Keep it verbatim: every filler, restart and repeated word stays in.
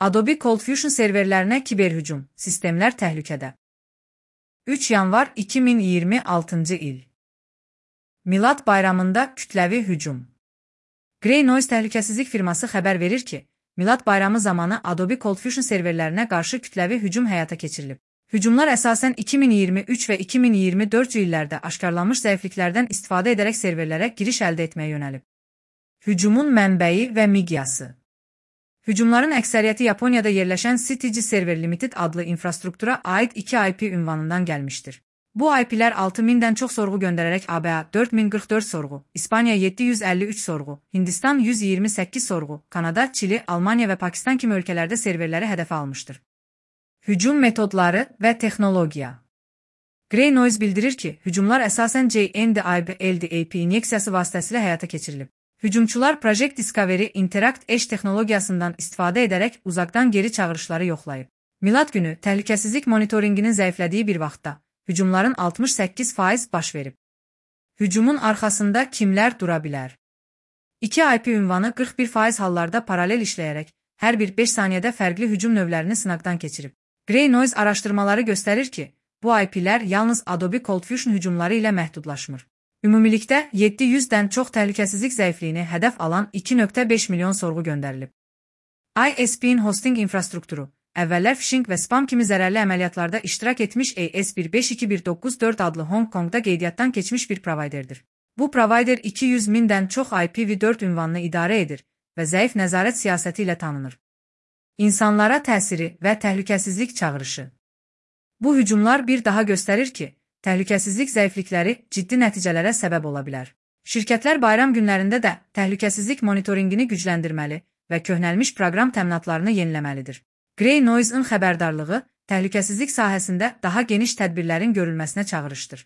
Adobe ColdFusion serverlərinə kiberhücum, sistemlər təhlükədə. üç yanvar iki min iyirmi altıncı il. Milad bayramında kütləvi hücum. Grey Noise təhlükəsizlik firması xəbər verir ki, Milad bayramı zamanı Adobe ColdFusion serverlərinə qarşı kütləvi hücum həyata keçirilib. Hücumlar əsasən iki min iyirmi üç və iki min iyirmi dörd illərdə aşkarlanmış zəifliklərdən istifadə edərək serverlərə giriş əldə etməyə yönəlib. Hücumun mənbəyi və miqyası. Hücumların əksəriyyəti Yaponiyada yerləşən C T G Server Limited adlı infrastruktura aid iki I P ünvanından gəlmişdir. Bu I P'lər altı mindən çox sorğu göndərərək A B A dörd min qırx dörd sorğu, İspaniya yeddi yüz əlli üç sorğu, Hindistan yüz iyirmi səkkiz sorğu, Kanada, Çili, Almaniya və Pakistan kimi ölkələrdə serverləri hədəfə almışdır. Hücum metodları və texnologiya. Grey Noise bildirir ki, hücumlar əsasən J N D I B L D A P inyeksiyası vasitəsilə həyata keçirilib. Hücumçular Project Discovery Interact Edge texnologiyasından istifadə edərək uzaqdan geri çağırışları yoxlayıb. Milad günü təhlükəsizlik monitoringinin zəiflədiyi bir vaxtda hücumların altmış səkkiz faiz baş verib. Hücumun arxasında kimlər dura bilər? iki I P ünvanı qırx bir faiz hallarda paralel işləyərək hər bir beş saniyədə fərqli hücum növlərini sınaqdan keçirib. Grey Noise araşdırmaları göstərir ki, bu I P'lər yalnız Adobe ColdFusion hücumları ilə məhdudlaşmır. Ümumilikdə yeddi yüzdən çox təhlükəsizlik zəifliyini hədəf alan iki nöqtə beş milyon sorğu göndərilib. I S P'nin hosting infrastrukturu, əvvəllər phishing və spam kimi zərərli əməliyyatlarda iştirak etmiş A S bir beş iki bir doqquz dörd adlı Hong Kongda qeydiyyatdan keçmiş bir provayderdir. Bu provayder iki yüz mindən çox I P v dörd ünvanını idarə edir və zəif nəzarət siyasəti ilə tanınır. İnsanlara təsiri və təhlükəsizlik çağırışı. Bu hücumlar bir daha göstərir ki, təhlükəsizlik zəiflikləri ciddi nəticələrə səbəb ola bilər. Şirkətlər bayram günlərində də təhlükəsizlik monitoringini gücləndirməli və köhnəlmiş proqram təminatlarını yeniləməlidir. Grey Noise-ın xəbərdarlığı təhlükəsizlik sahəsində daha geniş tədbirlərin görülməsinə çağırışdır.